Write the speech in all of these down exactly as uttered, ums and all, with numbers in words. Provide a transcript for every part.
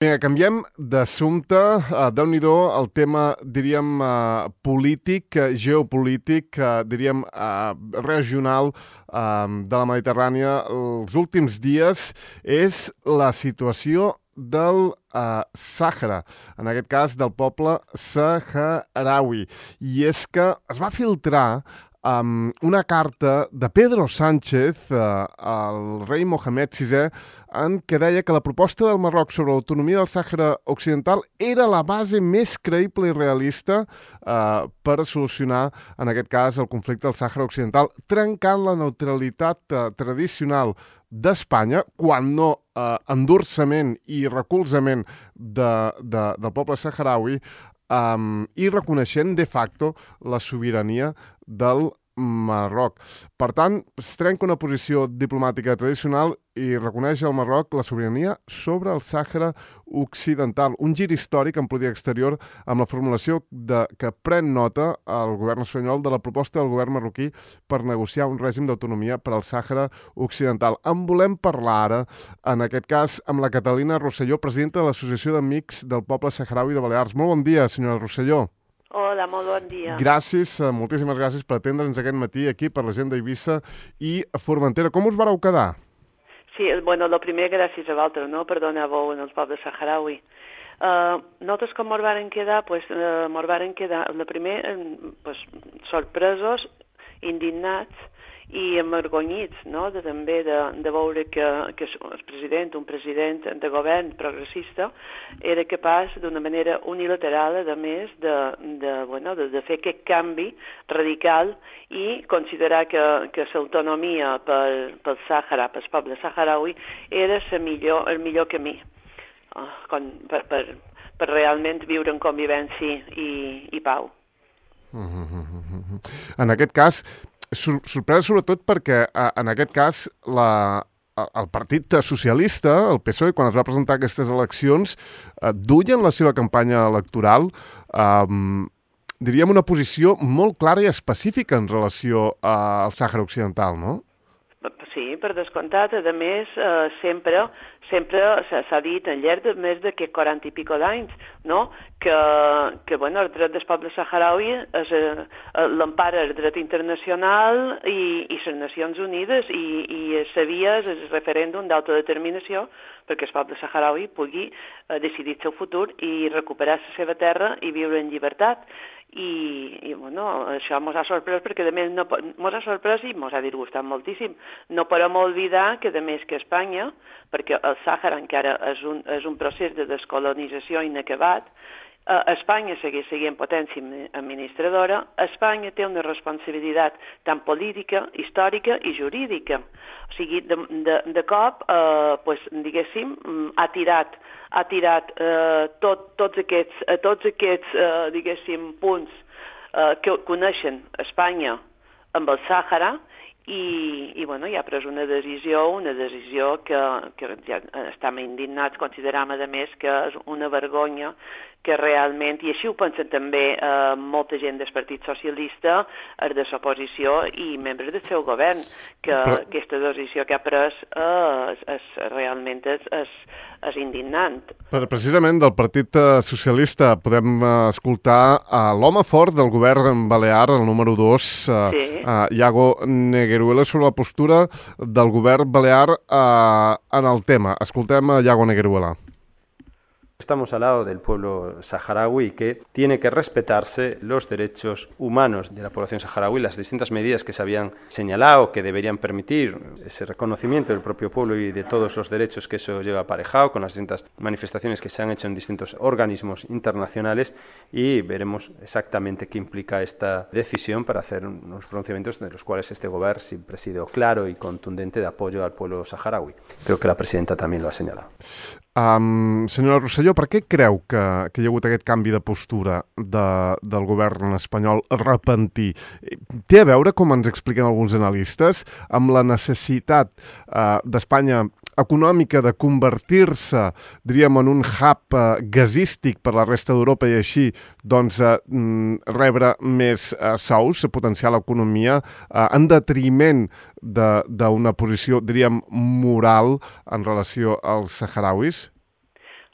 Vinga, canviem d'assumpte. Uh, Déu-n'hi-do el tema, diríem, uh, polític, uh, geopolític, uh, diríem, uh, regional uh, de la Mediterrània. Els últims dies és la situació del uh, Sàhara, en aquest cas del poble saharaui. I és que es va filtrar um, una carta de Pedro Sánchez uh, al rei Mohamed sisè en què deia que la proposta del Marroc sobre l'autonomia del Sàhara Occidental era la base més creïble i realista uh, per solucionar, en aquest cas, el conflicte del Sàhara Occidental, trencant la neutralitat uh, tradicional d'Espanya, quan no eh, endurçament i recolzament de, de, del poble saharaui, um, i reconeixent de facto la sobirania del Marroc. Per tant, es trenca una posició diplomàtica tradicional i reconeix al Marroc la sobirania sobre el Sàhara Occidental. Un gir històric en política exterior amb la formulació de, que pren nota el govern espanyol de la proposta del govern marroquí per negociar un règim d'autonomia per al Sàhara Occidental. En volem parlar ara, en aquest cas, amb la Catalina Rosselló, presidenta de l'Associació d'Amics del Poble Saharaui de Balears. Molt bon dia, senyora Rosselló. Hola, molt bon dia. Gràcies, moltíssimes gràcies per atendre'ns aquest matí aquí per la gent d'Eivissa i Formentera. Com us vareu quedar? Sí, bueno, el primer gràcies a vosaltres, no?, per donar-veu al poble saharaui. Uh, nosaltres com ens varen quedar, pues, uh, ens varen quedar, el primer, pues, sorpresos, indignats i amargonyits, no?, de, també de, de veure que, que el president, un president de govern progressista, era capaç d'una manera unilateral, a més, de, de, bueno, de, de fer aquest canvi radical i considerar que, que l'autonomia pel, pel Sàhara, pel poble saharaui, era millor, el millor camí uh, con, per, per, per realment viure en convivència i, i pau. Mm-hmm. En aquest cas, Sor sorpresa sobretot perquè, en aquest cas, la, el Partit Socialista, el P S O E, quan es va presentar aquestes eleccions, eh, duien la seva campanya electoral, eh, diríem, una posició molt clara i específica en relació al Sàhara Occidental, no? Sí, per descomptat. A més, eh, sempre sempre s'ha dit al llarg de més de quaranta i pico d'anys, no?, que, que bueno, el dret del poble saharaui és eh, l'empara el dret internacional i, i les Nacions Unides i, i sabia el referèndum d'autodeterminació perquè el poble saharaui pugui eh, decidir el seu futur i recuperar la seva terra i viure en llibertat. I, i bueno, això ens ha sorprès perquè a més ens ha sorprès i ens ha disgustat moltíssim. No podem oblidar que a més que Espanya, perquè el Sàhara encara és un, és un procés de descolonització inacabat, eh, Espanya segueix sent potència administradora, Espanya té una responsabilitat tant política, històrica i jurídica. O sigui, de, de, de cop, eh, pues, diguéssim, ha tirat ha tirat eh, tot, tots aquests, eh, tots aquests eh, diguéssim, punts eh, que coneixen Espanya amb el Sàhara i, i bueno, ja ha pres una decisió, una decisió que, que ja estem indignats, consideram a més que és una vergonya que realment, i així ho pensen també eh, molta gent del Partit Socialista, els de l'oposició i membres del seu govern, que Però... aquesta decisió que ha pres eh, és, és, realment és, és, és indignant. Però precisament del Partit Socialista podem escoltar uh, l'home fort del govern balear, el número dos, uh, sí. uh, Iago Negueruela, sobre la postura del govern balear uh, en el tema. Escoltem a Iago Negueruela. Estamos al lado del pueblo saharaui que tiene que respetarse los derechos humanos de la población saharaui, las distintas medidas que se habían señalado que deberían permitir ese reconocimiento del propio pueblo y de todos los derechos que eso lleva aparejado, con las distintas manifestaciones que se han hecho en distintos organismos internacionales, y veremos exactamente qué implica esta decisión para hacer unos pronunciamientos de los cuales este gobierno siempre ha sido claro y contundente de apoyo al pueblo saharaui. Creo que la presidenta también lo ha señalado. Um, senyora Rosselló, per què creu que, que hi ha hagut aquest canvi de postura de, del govern espanyol repentí? Té a veure, com ens expliquen alguns analistes, amb la necessitat uh, d'Espanya econòmica de convertir-se, diríem, en un hub uh, gasístic per la resta d'Europa i així doncs, uh, rebre més uh, sous, potenciar l'economia, uh, en detriment d'una posició, diríem, moral en relació als saharauis?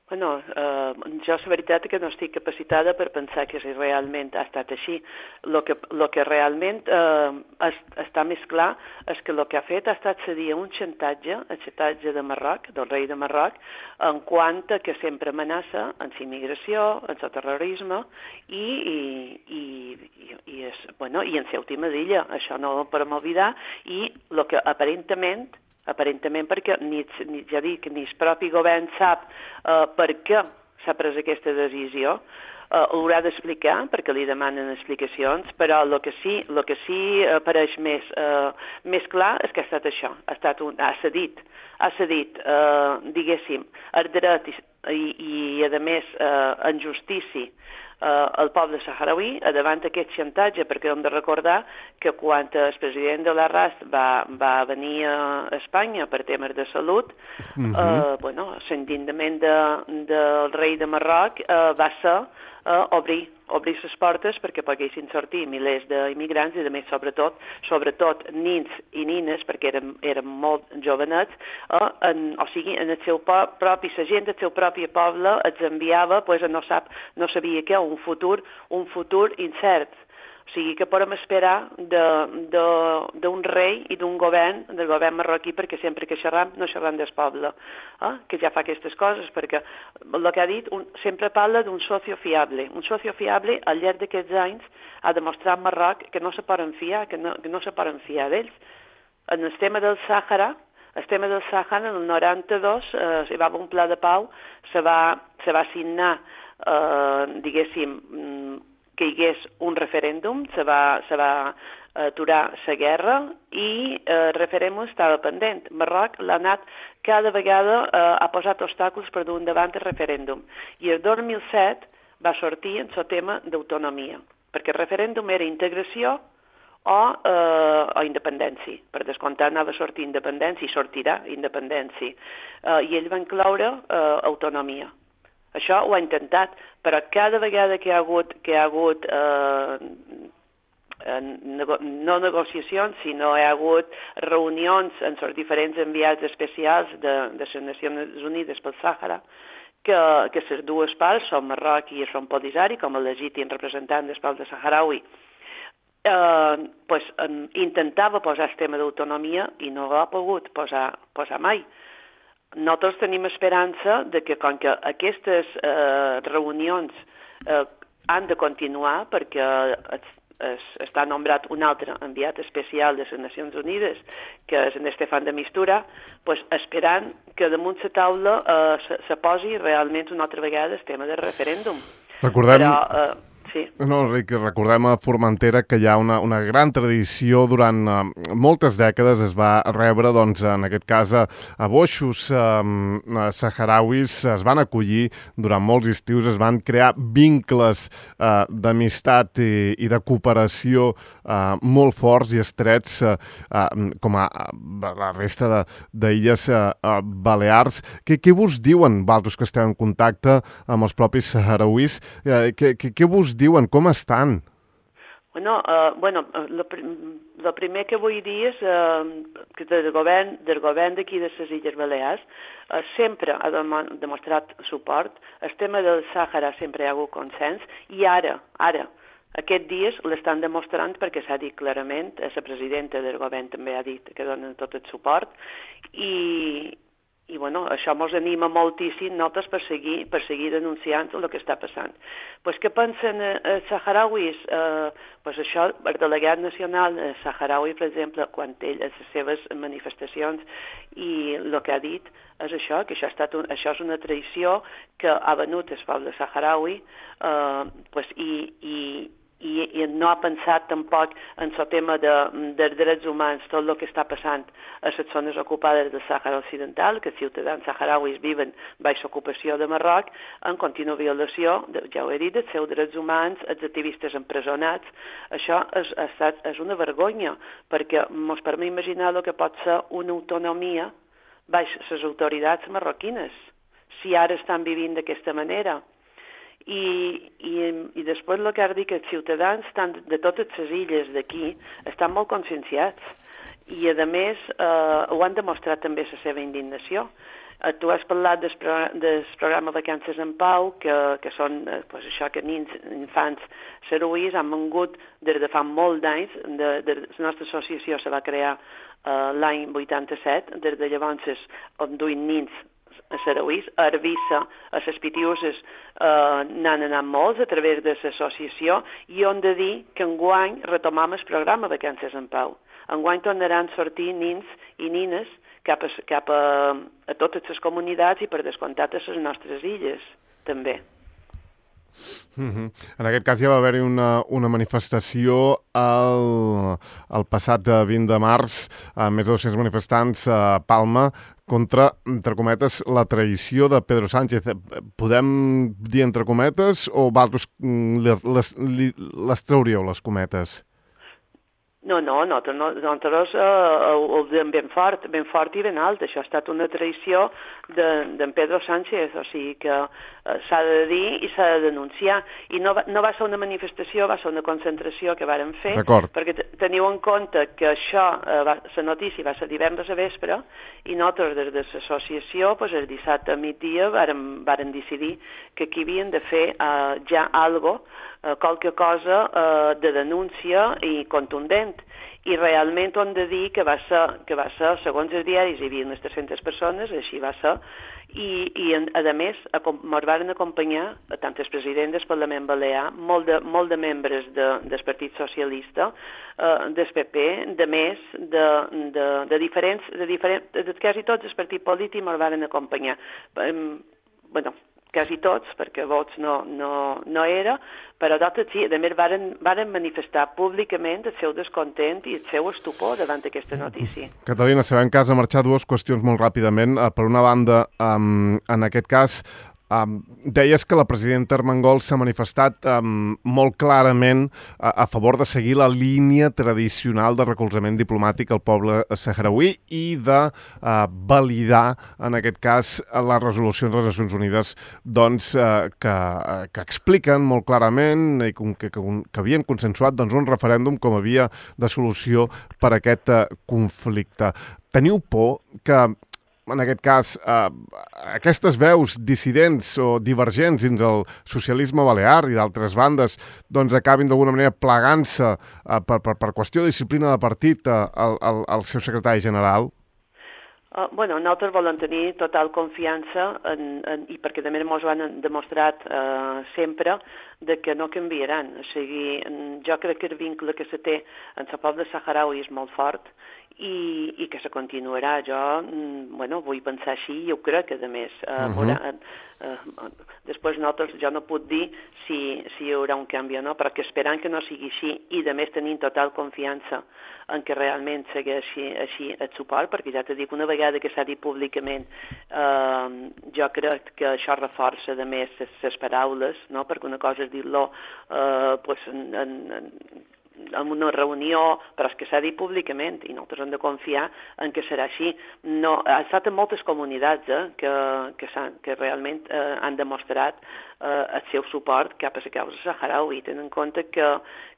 Bueno, eh, jo la veritat és que no estic capacitada per pensar que si realment ha estat així. El que, lo que realment eh, es, està més clar és que el que ha fet ha estat cedir un xantatge, el xantatge de Marroc, del rei de Marroc, en quant a que sempre amenaça en la immigració, en el terrorisme i, i, i, i, i, és, bueno, i en la última d'illa. Això no ho podem oblidar. I el que aparentment aparentament perquè ni, ni, ja dic, ni el propi govern sap uh, per què s'ha pres aquesta decisió, uh, ho haurà d'explicar perquè li demanen explicacions, però el que sí, el que sí apareix més, uh, més clar és que ha estat això, ha, estat un, ha cedit, ha cedit, uh, diguéssim, el dret i, i, i a més, uh, en justícia, Uh, el poble saharaui davant d'aquest xantatge, perquè hem de recordar que quan el president de l'Arrast va, va venir a Espanya per temes de salut, uh-huh. uh, bueno, l'endindament de, del rei de Marroc uh, va ser uh, obrir, obrir les portes perquè poguessin sortir milers d'immigrants i, a més, sobretot, sobretot nins i nines, perquè eren, eren molt jovenets, uh, en, o sigui, en el seu propi, la gent del seu propi poble els enviava, pues, no, sap, no sabia què, un futur, un futur incert. O sigui que podem esperar d'un rei i d'un govern, del govern marroquí, perquè sempre que xerram, no xerram del poble, eh? que ja fa aquestes coses, perquè el que ha dit un, sempre parla d'un socio fiable. Un socio fiable, al llarg d'aquests anys, ha demostrat a Marroc que no se poden fiar, que no, que no se poden fiar d'ells. En el tema del Sàhara, el tema del Sàhara, en el noranta-dos, eh, hi va haver un pla de pau, se va, se va signar, eh, diguéssim, que hi hagués un referèndum, se va, se va aturar la guerra i el referèndum estava pendent. Marroc l'ha anat cada vegada, eh, ha posat obstacles per dur endavant el referèndum. I el dos mil set va sortir en el tema d'autonomia, perquè el referèndum era integració o, eh, o independència. Per descomptat anava a sortir independència i sortirà independència. Eh, I ell va incloure eh, autonomia. Això ho ha intentat, però cada vegada que hi ha hagut, que hi ha hagut eh, nego, no negociacions, sinó hi ha hagut reunions amb els diferents enviats especials de, de les Nacions Unides pel Sàhara, que, que les dues parts, són Marroc i són Polisari, com a legítim representant del poble saharaui, eh, pues, eh, intentava posar el tema d'autonomia i no ho ha pogut posar, posar mai. Nosaltres tenim esperança de que, com que aquestes eh, reunions eh, han de continuar, perquè es, es, està nombrat un altre enviat especial de les Nacions Unides, que és en Estefan de Mistura, pues, esperant que damunt la taula eh, se, se posi realment una altra vegada el tema del referèndum. Recordem... Però, eh, Sí. No, Enric, recordem a Formentera que hi ha una, una gran tradició durant uh, moltes dècades. Es va rebre, doncs, en aquest cas, a, a boixos um, uh, saharauis, es van acollir durant molts estius, es van crear vincles uh, d'amistat i, i de cooperació uh, molt forts i estrets, uh, uh, com a uh, la resta d'illes uh, uh, Balears. Què, què vos diuen, vosaltres que esteu en contacte amb els propis saharauis? Uh, què, què, què vos diuen? Com estan? Bueno, uh, bueno el pr primer que vull dir és uh, que del govern del govern d'aquí de les Illes Balears uh, sempre ha dem demostrat suport. El tema del Sàhara sempre hi ha hagut consens i ara, ara, aquests dies l'estan demostrant perquè s'ha dit clarament, la presidenta del govern també ha dit que donen tot el suport i I bueno, això ens anima moltíssim nosaltres per seguir, per seguir denunciant el que està passant. Pues, què pensen els saharauis? Eh, pues això, el delegat nacional saharaui, per exemple, quan ell a les seves manifestacions i el que ha dit és això, que això, ha estat un, això és una traïció que ha venut el poble saharaui eh, pues, i, i I, i no ha pensat tampoc en el tema de, dels drets humans, tot el que està passant a les zones ocupades del Sàhara Occidental, que els ciutadans saharauis viven baix ocupació de Marroc, en contínua violació, de, ja ho he dit, dels seus drets humans, els activistes empresonats. Això és, ha estat, és una vergonya, perquè ens permet imaginar el que pot ser una autonomia baix les autoritats marroquines, si ara estan vivint d'aquesta manera. I, i, i després el que ha dit que els ciutadans estan, de totes les illes d'aquí estan molt conscienciats i a més eh, ho han demostrat també la seva indignació. tu has parlat del, pro, del programa Vacances en Pau, que, que són eh, pues això que nins, infants sarauís han vengut des de fa molt d'anys. De, de, la nostra associació se va crear eh, l'any vuitanta-set, des de llavors on duien nins a sarauís, a Eivissa, a les Pitiuses eh, n'han anat molts a través de l'associació, i on de dir que enguany retomam el programa Vacances en Pau. Enguany tornaran a sortir nins i nines cap a, cap a, a totes les comunitats i per descomptat a les nostres illes, també. Mm-hmm. En aquest cas ja va haver-hi una, una manifestació el, el passat vint de març, amb més de dos-cents manifestants a Palma, contra, entre cometes, la traïció de Pedro Sánchez. Podem dir entre cometes o vosaltres les, les, les trauríeu, les cometes? No, no, nosaltres, nosaltres eh, ho diem ben fort, ben fort i ben alt. Això ha estat una traïció d'en de, Pedro Sánchez, o sigui que eh, s'ha de dir i s'ha de denunciar. I no va, no va ser una manifestació, va ser una concentració que vàrem fer, perquè teniu en compte que això, eh, va, la notícia va ser divendres a vespre, i nosaltres des de l'associació, pues, el dissabte a migdia, vàrem, vàrem decidir que aquí havien de fer eh, ja algo, qualque cosa eh, de denúncia i contundent. I realment hem de dir que va ser, que va ser segons els diaris, hi havia unes tres-centes persones, així va ser, i, i a més ens van acompanyar tant el president del Parlament Balear, molt de, molt de membres de, del Partit Socialista, eh, del P P, de més, de, de, de diferents, de, diferents, de quasi tots els partits polítics ens van acompanyar. Eh, bueno, quasi tots, perquè vots no, no, no era, però d'altres sí, a més varen, varen manifestar públicament el seu descontent i el seu estupor davant d'aquesta notícia. Catalina, sabem que has de marxar, dues qüestions molt ràpidament. Per una banda, um, en aquest cas, Um, deies que la presidenta Armengol s'ha manifestat um, molt clarament a, a favor de seguir la línia tradicional de recolzament diplomàtic al poble sahrauí i de uh, validar, en aquest cas, les resolucions de les Nacions Unides doncs, uh, que, uh, que expliquen molt clarament i que, que, que havien consensuat doncs, un referèndum com a via de solució per a aquest uh, conflicte. Teniu por que en aquest cas, eh, aquestes veus dissidents o divergents dins el socialisme balear i d'altres bandes doncs acabin d'alguna manera plegant-se eh, per, per, per qüestió de disciplina de partit eh, al, al, al seu secretari general? Uh, bueno, nosaltres volem tenir total confiança en, en, i perquè també ens ho han demostrat uh, sempre de que no canviaran. O sigui, jo crec que el vincle que se té en el poble saharaui és molt fort i, i que se continuarà. Jo, bueno, vull pensar així i ho crec, a més. Uh, uh-huh. haurà, uh, després nosaltres, jo no puc dir si, si hi haurà un canvi o no, però que esperant que no sigui així i, a més, tenim total confiança en que realment segueixi així el suport, perquè ja t'he dit, una vegada que s'ha dit públicament, eh, jo crec que això reforça, a més, les paraules, no? Perquè una cosa és dir-lo eh, pues, en, en, en una reunió, però és que s'ha dit públicament i nosaltres hem de confiar en que serà així. No, ha estat en moltes comunitats eh, que, que, que realment eh, han demostrat eh, el seu suport cap a la causa saharaui. Tenen en compte que,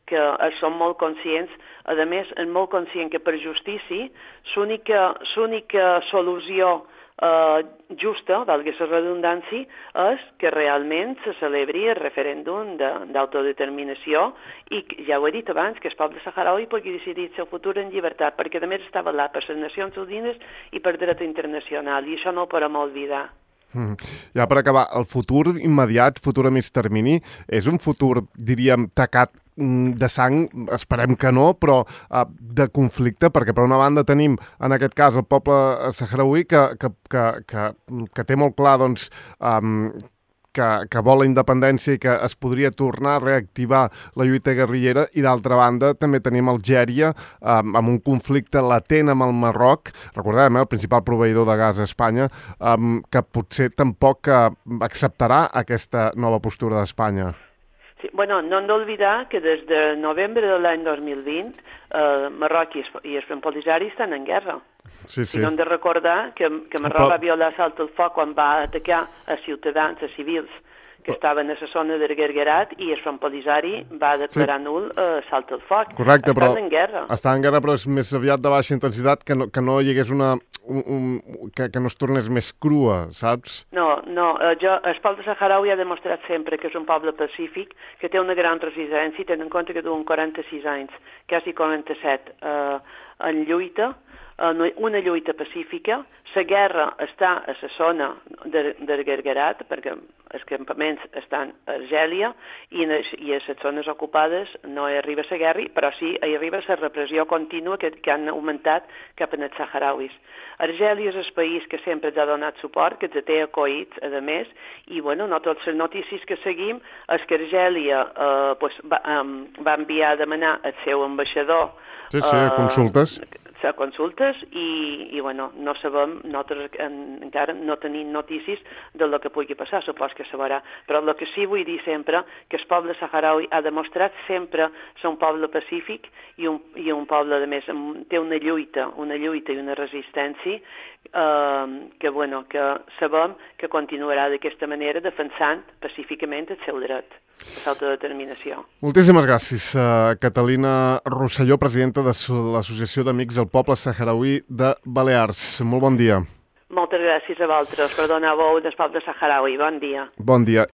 que són molt conscients, a més, és molt conscient que per justícia l'única l'única solució Uh, justa, valgui la redundància, és que realment se celebri el referèndum d'autodeterminació i, ja ho he dit abans, que el poble saharaui pugui decidir el seu futur en llibertat, perquè a més està avalat per les Nacions Unides i per dret internacional, i això no ho podem oblidar. Mm. Ja per acabar, el futur immediat, futur a mig termini, és un futur, diríem, tacat de sang, esperem que no, però uh, de conflicte, perquè per una banda tenim, en aquest cas, el poble sahrauí que, que, que, que, que té molt clar, doncs, um, que, que vol la independència i que es podria tornar a reactivar la lluita guerrillera, i d'altra banda també tenim Algèria um, amb un conflicte latent amb el Marroc, recordem, eh, el principal proveïdor de gas a Espanya, um, que potser tampoc uh, acceptarà aquesta nova postura d'Espanya. Sí, bueno, no hem d'oblidar que des de novembre de l'any dos mil vint eh, Marroc i el Polisario estan en guerra. Sí, sí. Si no hem de recordar que, que Marroc Però... va violar salt al foc quan va atacar a ciutadans, a civils, que estaven a la zona del Guerguerat, i el Front Polisari va declarar sí. nul eh, salt al foc. Correcte, estan però en guerra. Estan en guerra, però és més aviat de baixa intensitat, que no, que no hi hagués una... Un, un, que, que no es tornés més crua, saps? No, no. Eh, jo, el poble saharaui ha demostrat sempre que és un poble pacífic, que té una gran resistència, i tenen en compte que duen quaranta-sis anys, quasi quaranta-set, eh, en lluita, una lluita pacífica. La guerra està a la zona de, del Guerguerat, perquè els campaments estan a Argèlia, i, i a les zones ocupades no hi arriba la guerra, però sí hi arriba la repressió contínua que, que han augmentat cap als saharauis. Argèlia és el país que sempre ens ha donat suport, que ens té acollits, a més, i bueno, no totes les notícies que seguim és que Argèlia eh, pues, va, um, va enviar a demanar el seu ambaixador sí, sí, a consultes. Uh, a consultes i, i bueno, no sabem, nosaltres en, encara no tenim notícies del que pugui passar, supos que se veurà. Però el que sí vull dir sempre, que el poble saharaui ha demostrat sempre ser un poble pacífic i un, i un poble, a més, té una lluita, una lluita i una resistència eh, que, bueno, que sabem que continuarà d'aquesta manera defensant pacíficament el seu dret d'autodeterminació. Moltíssimes gràcies, uh, Catalina Rosselló, presidenta de l'Associació d'Amics del Poble Saharauí de Balears. Molt bon dia. Moltes gràcies a vosaltres per donar veu del poble saharaui. Bon dia. Bon dia.